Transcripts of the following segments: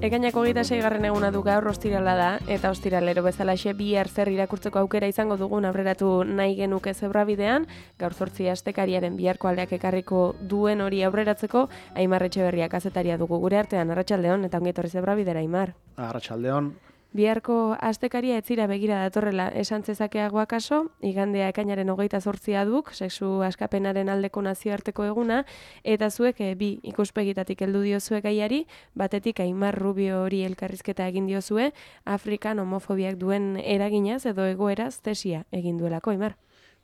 Ekainako 26. eguna du gaur ostirala da, eta ostiralero bezalaxe bihar zer irakurtzeko aukera izango dugun aurreratu nahi genuke zebrabidean, gaur 8 astekariaren biharko aldeak ekarriko duen hori aurreratzeko, Aimar Etxeberria kazetaria dugu gure artean. Arratsaldeon eta ongi etorri zebrabidera, Aimar. Arratsaldeon. Biharko astekaria etzira begira datorrela esan zezakeago akaso, igandea ekainaren 28 duk, sexu askapenaren aldeko nazioarteko eguna, eta zuek bi ikuspegitatik heldu diozue gaiari, batetik Aimar Rubio hori elkarrizketa egin diozue, Afrikan homofobiak duen eraginaz edo egoeraz tesia egin duelako, Aimar.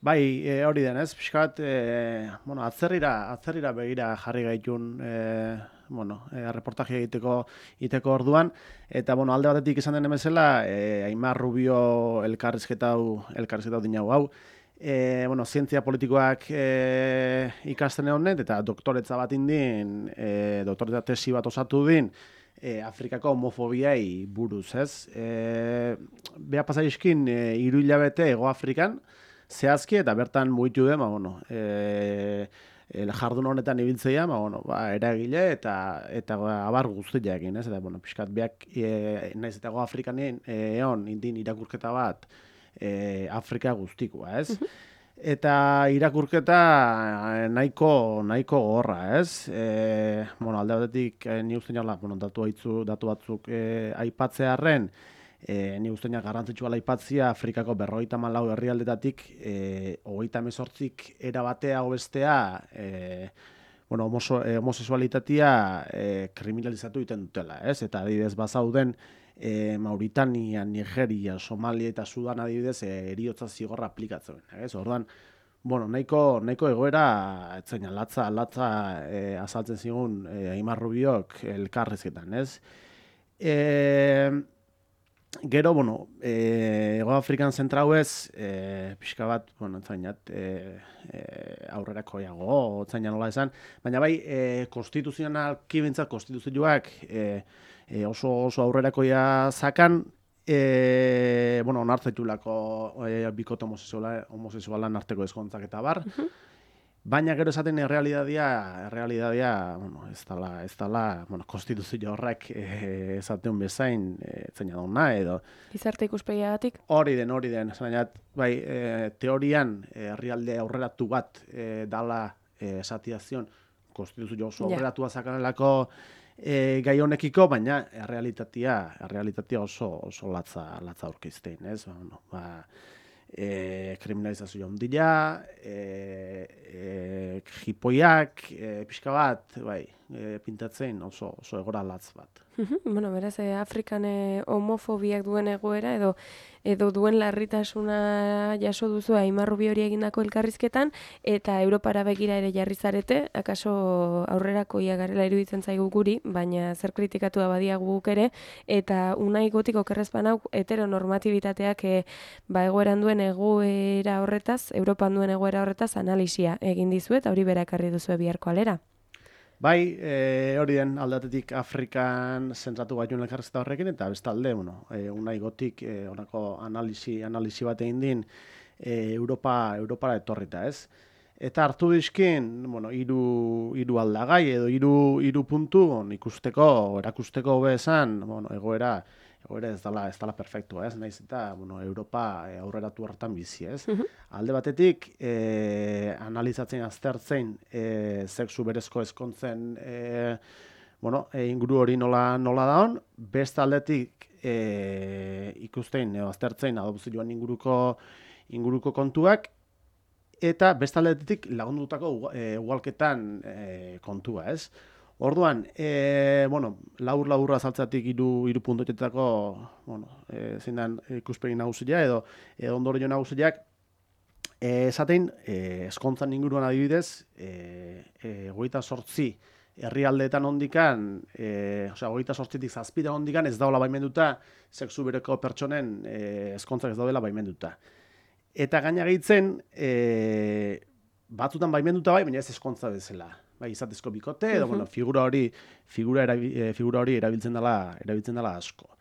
Bai, hori denez, pixkat, atzerrira begira jarri gaitun, reportaje egiteko orduan, eta alde batetik izan den emezela, Aimar Rubio elkarrizketa dinau hau, zientzia politikoak ikasten honet, eta doktoretza bat indin, doktoretza tesi bat osatu din, Afrikako homofobiai buruz, ez? Beha pasaizkin, 3 hilabete Hego Afrikan, zehazki eta bertan mugitu den, jardun honetan ibiltzeia, eragile eta abar guztiakin, ez? Eta, pixkat, beak, naiz eta Hego Afrikan egon indin irakurketa bat Afrika guztikoa, ez? Eta irakurketa nahiko gogorra, ez? Alde batetik, ni uste niola, datu batzuk aipatzearren, ni usteina garrantzitsua aipatzia Afrikako 54 herrialdetatik 38 erabatea bestea homosexualitatea kriminalizatu egiten dutela, ez? Eta adibidez bazauden Mauritania, Nigeria, Somalia eta Sudan adibidez heriotza zigorra aplikatzen, ez? Orduan, nahiko egoera etzaina latza azaltzen zigun Aimar Rubiok elkarrizketan, ez? Gero, Hego Afrikan zentrauez, pixka bat, entzainat, aurrerakoiago, entzaina nola esan, baina bai, konstituzionalki bintzat, konstituzioak oso aurrerakoia zakan, onartzetulako bikote homosexualan arteko ezkontzak eta bar, baina gero esaten errealitatea, ez dala, konstituzio horrek esaten bezain, zeina dauna, edo... Gizarte ikuspegiagatik? Hori den, bai, teorian herrialde aurreratu bat dala esatiazion, konstituzio oso aurreratua zakanelako gai honekiko, baina errealitatea oso latza aurkezten, ez? Kriminalizazio ondila, jipoiak, pixka bat, pintatzen oso egora latz bat. Beraz, Afrikan homofobiak duen egoera edo duen larritasuna jaso duzu Aimar Rubio hori egindako elkarrizketan, eta Europara begira ere jarri zarete, akaso aurrerakoia garela iruditzen zaigu guri, baina zer kritikatu abadiagu guk ere, eta Unai Gotiko kerrezpan hau heteronormatibitateak egoeran duen egoera horretaz, Europan duen egoera horretaz analisia egin dizu eta hori berakarri duzu biharko alera. Bai, hori den aldatetik Afrikan zentratu gaitun elkarrizketa horrekin, eta bestalde, Unai Gotik honako analisi bat egin din Europara etorrita, ez? Eta hartu dizkin, hiru aldagai edo hiru puntu erakusteko hobe esan, egoera ez dala perfektua, ez? Naiz eta, Europa aurreratu hartan bizi, ez? Alde batetik, analizatzen aztertzen sexu berezko ezkontzen inguru hori nola daun, beste aldetik ikusten aztertzen adopzioan inguruko kontuak, eta beste aldetik lagundutako ugalketan kontua, ez? Orduan, labur azaltzatik hiru puntuetetako, zein den ikuspegi nagusia edo ondorio nagusiak, esaten, ezkontzan inguruan adibidez, 28 herrialdeetan ondikan, 28tik 7 ondikan ez daola baimenduta, sexu bereko pertsonen ezkontzak ez daudela baimenduta. Eta gaina gehitzen, batzutan baimenduta baina ez ezkontza bezala. Izatezko bikote, edo figura hori erabiltzen dela asko.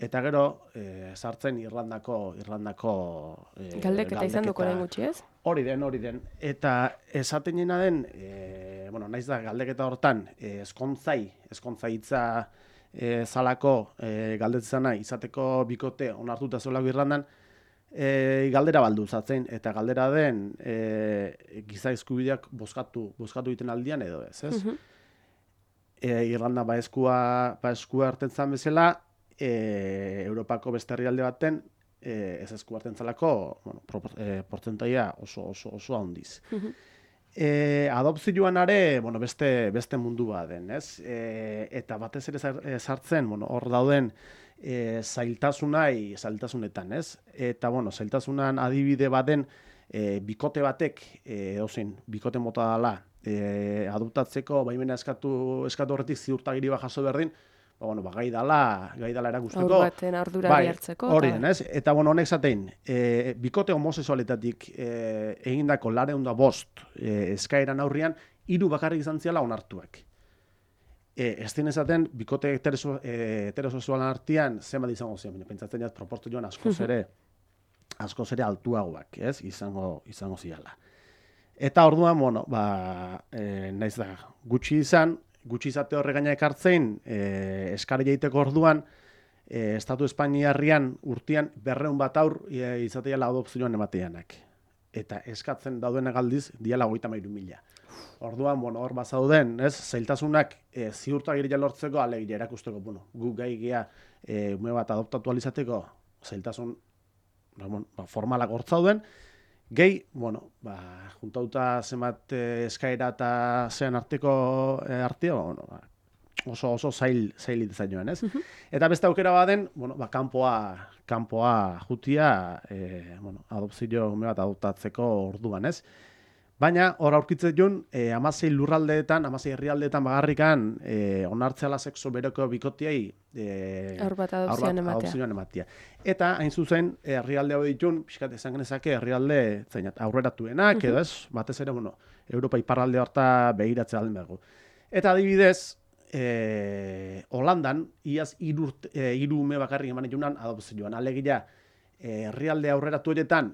Eta gero, sartzen Irlandako galdeketa izan duko orain gutxi, ez? Hori den. Eta esaten jena den, naiz da galdeketa hortan, ezkontza hitza zalako galdetzena izateko bikote onartuta zelako Irlandan, galdera balduzatzen, eta galdera den giza eskubideak bozkatu egiten aldian edo ez, ez? Irlanda baeskua hartzen zan bezala, Europako beste herrialde baten ez esku hartzen zalako, portzentaia oso handiz. Adopzioan are, beste mundu bat den, ez? Eta batez ere sartzen, hor dauden zailtasunetan, ez? Eta, zailtasunan adibide baden bikote batek, bikote mota dela, adoptatzeko baimena eskatu horretik ziurtagiri bat jaso berdin, gai dala erakusteko. Aur baten ardurari hartzeko. Hori den, ez? Eta, honek zatein, bikote homosexualetatik egindako 205 eskaeran aurrian, 3 bakarrik izan ziala onartuak. Ez dien esaten, bikote heterosexualan artean, zenbat izango zian, pentsatzen jaz, proportzioan askoz ere altuagoak, ez? Izango ziala. Eta orduan, naiz da, gutxi izate horre gaina ekartzein, eskari jaiteko orduan, Estatu Espainiarrian urtean 200 bat aur izateala adopzioan emateanak. Eta eskatzen daudenak aldiz, diala 33.000. Orduan, hor bazauden, ez, zailtasunak ziurtagiria lortzeko, alegia erakusteko, gu gai gea ume bat adoptatu alizateko, zailtasun formalak hortzauden, gehi, juntauta zenbat eskaera eta zean arteko artea, oso zail zainoen, ez? Eta beste aukera baden, kanpoa jutia, adopzio ume bat adoptatzeko orduan, ez? Baina, hor aurkitzen joan, 16 lurraldeetan, 16 herrialdeetan bagarrikan onartzeala sexo bereko bikotiei aur bat adopzioan ematea. Eta, hain zuzen, herrialde hau ditun, pixkat esan genezake, herrialde aurreratuenak, edo ez, batez ere, Europa iparralde horta begiratzea alden dugu. Eta adibidez, Holandan, iaz 3 ume bakarrik eman junan adopzioan. Alegia, herrialde aurreratu horietan,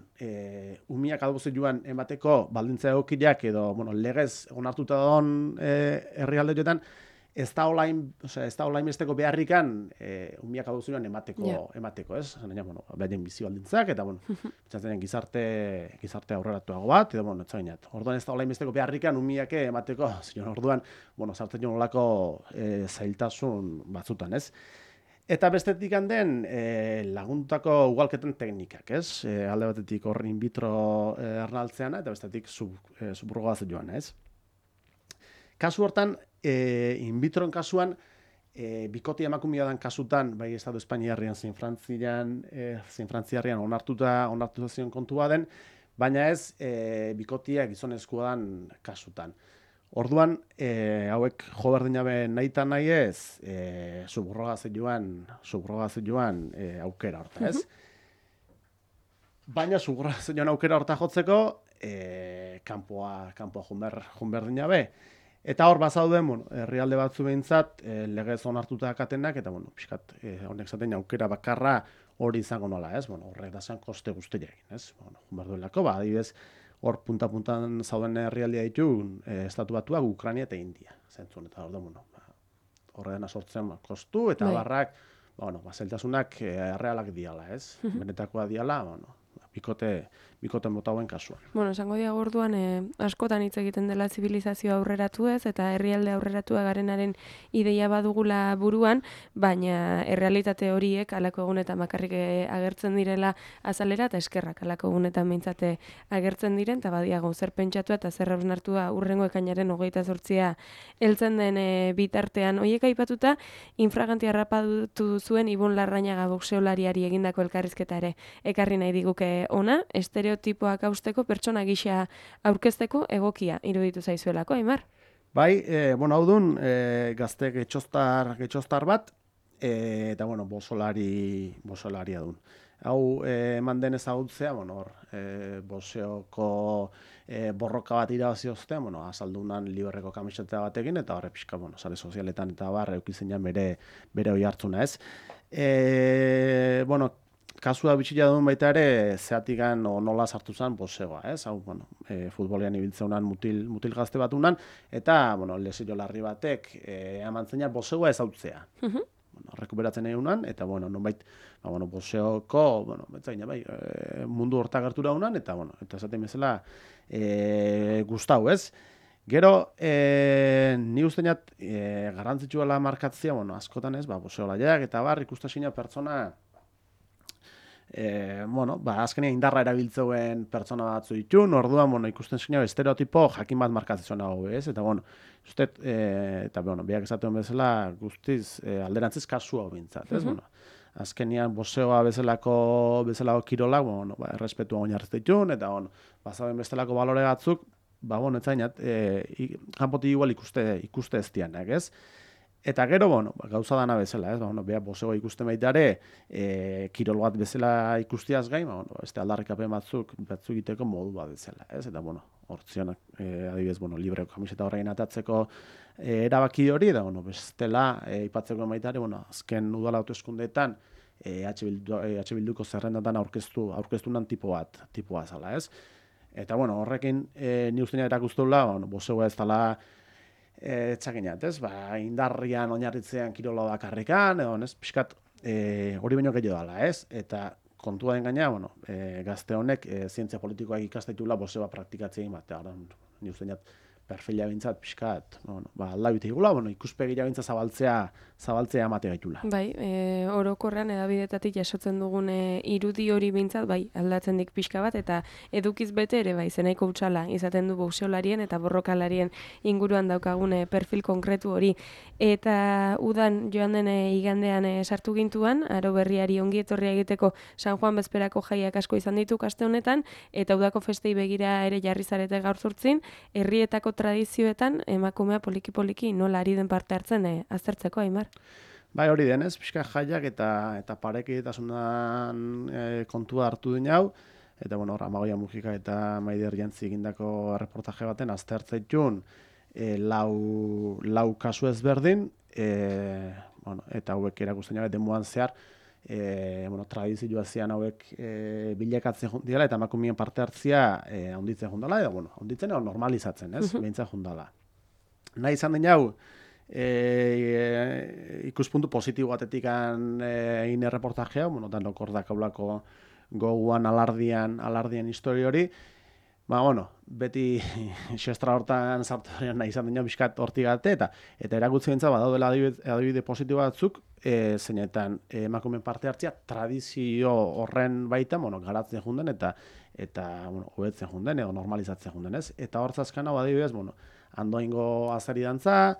umiak adopzioan emateko baldintza egokiak edo legez onartuta dagoen herrialde horietan, ez da olain besteko beharrikan umiak adopzioan emateko, ez? Behaien bizi baldintzak, eta pentsatzen gizarte aurreratuago bat, edo orduan ez da olain besteko beharrikan umiak emateko, orduan sartzen joan olako zailtasun batzutan, ez? Eta bestetik handen laguntako ugalketen teknikak, ez? Alde batetik hor in vitro ernaltzeana, eta bestetik subrogazio joan, ez? Kasu hortan, in vitroen kasuan, bikoti emakumea dan kasutan, bai Estatu Espainiarrian zein Frantziarrian onartuta zion kontua den, baina ez bikotiak gizonezkoa dan kasutan. Orduan, hauek jo berdin jabe nahi eta nahi ez, subrogazioan aukera horta, ez? Baina subrogazioan aukera horta jotzeko, kanpoa joan berdin jabe. Eta hor bazauden, herrialde batzu behintzat, legez onartuta akatenak, eta, pixkat, honek zaten aukera bakarra hori izango nola, ez? Horrek da zen koste guztiak, ez? Jumar duelako, adibidez, hor punta-puntan zauden herrialdea ditu, estatu batuak, Ukraina eta India. Zentzun, eta horre dena sortzen kostu, eta barrak, zailtasunak errealak diala, ez? Benetakoa diala, bikote mota hauen kasuan. Esango diago orduan, askotan hitz egiten dela zibilizazio aurreratu ez, eta herrialde aurreratua garenaren ideia badugula buruan, baina errealitate horiek alako egunetan bakarrik agertzen direla azalera, eta eskerrak alako egunetan behintzate agertzen diren, eta badiago zer pentsatua eta zer hausnartua urrengo ekainaren 28 heltzen den bitartean. Horiek aipatuta, infraganti harrapatu zuen Ibon Larrañaga boxeolariari egindako elkarrizketa ere ekarri nahi diguke ona, estereotipoak hausteko pertsona gisa aurkezteko egokia iruditu zaizuelako, Aimar? Bai, hau dun, gazte getxostar bat, eta, bosolaria dun. Hau, eman den ezagutzea, boseoko borroka bat irabazi ostean, azaldunan libreko kamiseta batekin, eta horre pixka, sare sozialetan eta barra eukitzen jan bere oi hartzuna, ez? Kasua bitxila duen baita ere, zeatikan nola sartu zen bosegoa, ez? Hau, futbolean ibiltzeunan mutil gazte bat unan, eta, lesio larri batek, emantzena bosegoa ezautzea. rekuperatzen egunan, eta, bueno, nonbait, boxeoko, betzaina, bai, mundu horta gertura unan, eta, eta esaten bezala, gustau, ez? Gero, ni usteñat, garrantzitsua markatzea, askotan ez, boxeolaiak eta ikustasina pertsona, azkenean indarra erabiltzeuen pertsona batzu ditun, orduan, ikusten zina, estereotipo jakin bat markatzen hau, ez? Eta, ustet, eta, biak esaten bezala, guztiz, alderantziz kasu hau bintzat, ez? Azkenean, boxeoa bezalako kirolak, errespetua oinarrizte ditun, eta, bazaben bestelako balore batzuk, etzainat, kanpotik igual ikuste ez dianak, ez? Eta gero, gauza dana bezala, ez? Beha, boxeoa ikusten baitare, kirol bat bezala ikustiaz gain, beste aldarrikapen batzuk egiteko modu bat bezala, ez? Eta, hortzionak, adibidez, libreko kamiseta horrein atatzeko erabaki hori, eta, bestela, ipatzeko baitare, azken udala hauteskundeetan, Bilduko zerrendatan aurkeztunan tipoa zala, ez? Eta, horrekin, ni usteina erakustuela, boxeoa ez dela, txakinat, ez? Indarrian oinarritzean kirola bakarrikan, edo, ez? Piskat, hori baino gehiago dela, ez? Eta kontua den gaina, gazte honek zientzia politikoak ikastaitula boxeoa praktikatzea bat, ni usteina perfila bintzat, piskat, aldabite igula, ikuspegira bintzat zabaltzea amate gaitula. Bai, orokorrean edabidetatik jasotzen dugun irudi hori bintzat, bai, aldatzen dik pixka bat, eta edukiz bete ere, bai, zenaiko utxala, izaten du boxeolarien eta borrokalarien inguruan daukagun perfil konkretu hori. Eta udan joan den igandean sartu gintuan, aro berriari ongi etorria egiteko San Juan bezperako jaiak asko izan ditu kaste honetan, eta udako festei begira ere jarri zarete gaur zurtzin, herrietako tradizioetan emakumea poliki-poliki nola ari den parte hartzen aztertzeko, Aimar? Bai, hori denez, pixka jaiak eta parekidetasunan kontua hartu den hau, eta, Amagoia Mujika eta Maider Jantzi egindako reportaje baten aztertzaitun lau kasu ezberdin, eta hauek erakusten jabe demuan zehar, tradizioa zian hauek bilakatzen dira eta emakumeen parte hartzia handitzen jundala, edo, handitzen edo normalizatzen, ez? Behintzen jundala. Nahi izan den jau, ikuspuntu positibo batetik egin erreportajea, danok hor dakaulako goguan alardian historia hori, beti xestra hortan sartu nahi izan den jau bizkat hortigate, eta erakutzi bentsa badaudela adibide positibo batzuk, zeinetan emakumeen parte hartzia tradizio horren baita, garatzen junden eta hobetzen junden edo normalizatzen junden, ez? Eta hortzazkan hau adibidez, Andoaingo azari dantza,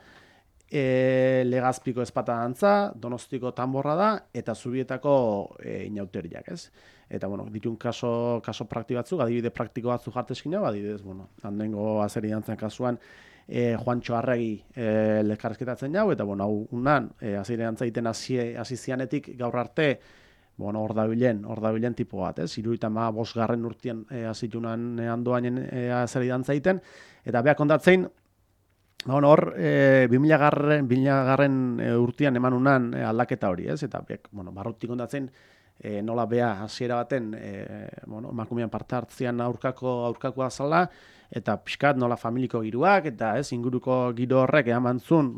Legazpiko espata dantza, Donostiko tanborra da, eta Zubietako inauteriak, ez? Eta, ditun kaso praktiko batzuk, adibide praktiko batzuk jartezkin hau, adibidez, Andoaingo azari dantzan kasuan, Juantxo Arregi lekarrezketatzen jau, eta, hau unan, azari dantza egiten hasi zianetik gaur arte, hor dabilen tipo bat, ez? 75. urtean hasitunan Andoainen azari dantza egiten, eta beha kontatzen, hor, 2000. Urtean eman unan aldaketa hori, ez? Eta, barrutik kontatzen, nola beha hasiera baten, emakumean parte hartzean aurkakoa zala, eta pixkat nola familiko giruak, eta ez, inguruko giro horrek eamantzun,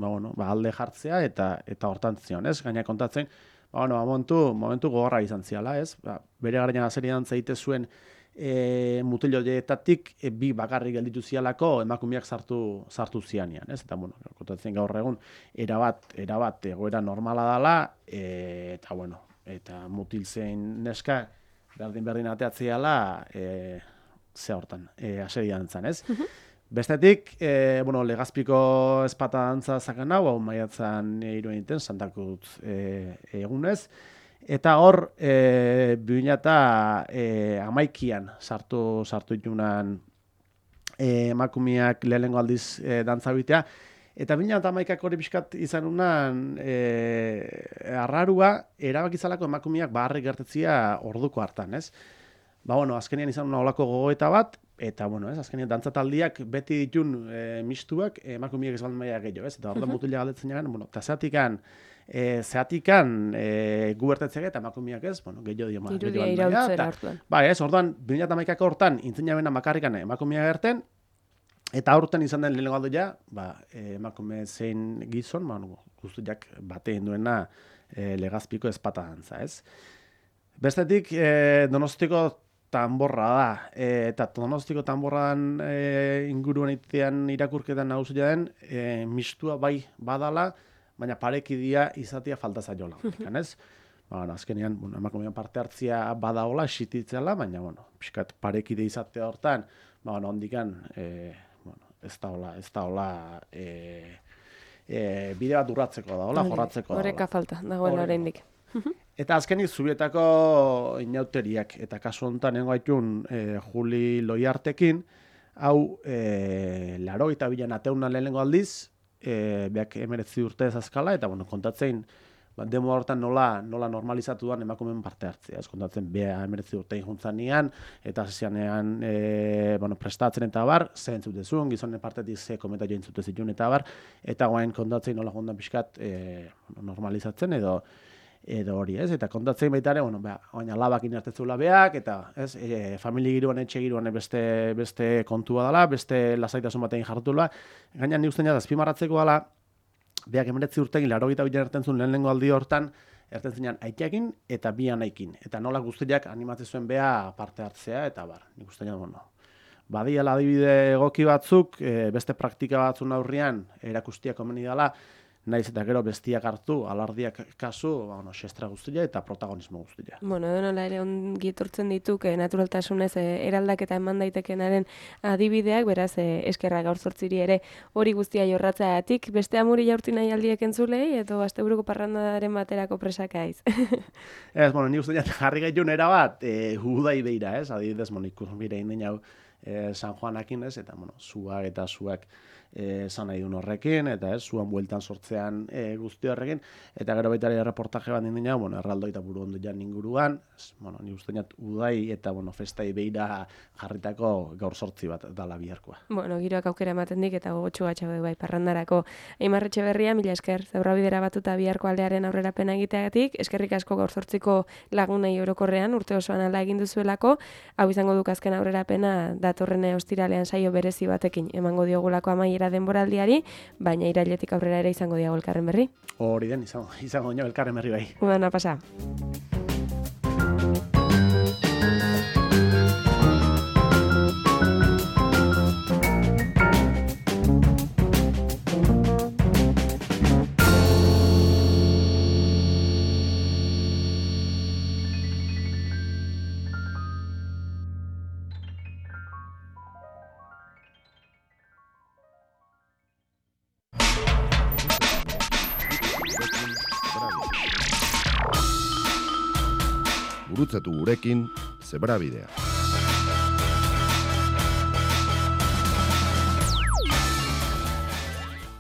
alde jartzea, eta hortan zion, ez? Gaina kontatzen, momentu gogorra izan ziala, ez? Bere garaian azeri dantza egite zuen mutiloietatik bi bakarrik gelditu zialako emakumeak sartu zianean, ez? Eta, kontatzen gaur egun, erabat egoera normala dela, eta mutil zein neska berdin ateatziala ze hortan, azeri dantzan, ez? Bestetik, Legazpiko espata dantza zakan hau maiatzan iruen iten, Santakutz egunez, eta hor, 2011an sartu itunan emakumeak lehenengo aldiz dantza bitea, eta 2011ak hori pixkat izan unan arrarua, erabakizalako emakumeak baharrik gertetzia orduko hartan, ez? Azkenean izan una olako gogoeta bat, eta, azkenean dantzataldiak beti ditun mistuak emakumeak ez baldin maia gehiago, ez? Eta orduan mutila galdetzen jagan, eta zeatikan gubertetzeak eta emakumeak ez, gehiago dio. Irudia irautzera hartuan. Bai, ez, orduan, 2011ako hortan, intzen jabena makarrikan emakumeak gerten, eta aurten izan den lehenengo aldoia, emakume zein gizon, guztiak batein duena Legazpiko ezpata dantza, ez? Bestetik, Donostiko tanborra da, eta Donostiko tanborran inguruan itean irakurketan nagusia den, mistua bai badala, baina parekidia izatea falta zaiola, ez? Azkenean, emakumean parte hartzia badaola, esititzela, baina, pixkat parekide izatea hortan, ondikan, ez da hola, bide bat urratzeko da, jorratzeko da. Horreka falta, dagoen oraindik. Eta azkenik Zubietako inauteriak, eta kasu honetan nengoaitun Juli Loiartekin, hau 82 ateuna lehenengo aldiz, beak 19 urte ezazkala, eta kontatzen, demo hortan nola normalizatu duan emakumeen parte hartzea. Ez kontatzen, beha 19 urte juntzanian, eta zianean prestatzen eta bar, zehen zutezun, gizonen partetik ze kometa join zutezitun eta bar, eta guain kontatzen nola jondan pixkat normalizatzen edo hori, ez? Eta kontatzen baita ere, oin alabak inertetzula beak, eta familia giroan, etxe giroan beste kontua dela, beste lasaitasun batean jartula. Gaina ni ustean azpimarratzeko dela, beak 19 urtekin, 82 ertentzun lehenengo aldi hortan, ertentzenean aiteakin eta bi anaikin. Eta nola guztiak animatzen zuen beha parte hartzea, eta nik ustean, badiala adibide egoki batzuk, beste praktika batzun aurrian, erakustia komeni dela, naiz eta gero bestiak hartu, alardiak kasu, xestra guztia eta protagonismo guztia. Nola ere ongi etortzen dituk, naturaltasunez eraldaketa eman daitekenaren adibideak, beraz, eskerra gaur zortziri ere hori guztia jorratzeagatik, beste amuri jaurti nahi aldiek entzulei, edo asteburuko parrandaren baterako presakaiz. Ez, ni uste jarri gaitun erabat, udai beira, ez? Adibidez, ikus bire indin hau San Juanakin, ez? Eta, zuak esan nahi duen horrekin, eta zuan bueltan sortzean guzti horrekin, eta gero baita ere reportaje bat nindina, erraldoi eta buru ondo jan inguruan, ni uste udai eta festai beira jarritako gaur sortzi bat dala biharkoa. Giroak aukera ematen dik, eta gogotxu gatxau bai parrandarako. Aimar Etxeberria, mila esker, Zebrabidera batuta biharko aldearen aurrerapena egiteagatik, eskerrik asko gaur sortziko lagunei orokorrean, urte osoan ala egin duzuelako, hau izango duk azken aurrerapena datorren ostiralean saio berezi batekin emango diogulako amaiera denboraldiari, baina irailetik aurrera ere izango diago elkarren berri. Hori den, izango dino elkarren berri bai. Udana pasa. Gurutzatu gurekin Zebrabidea.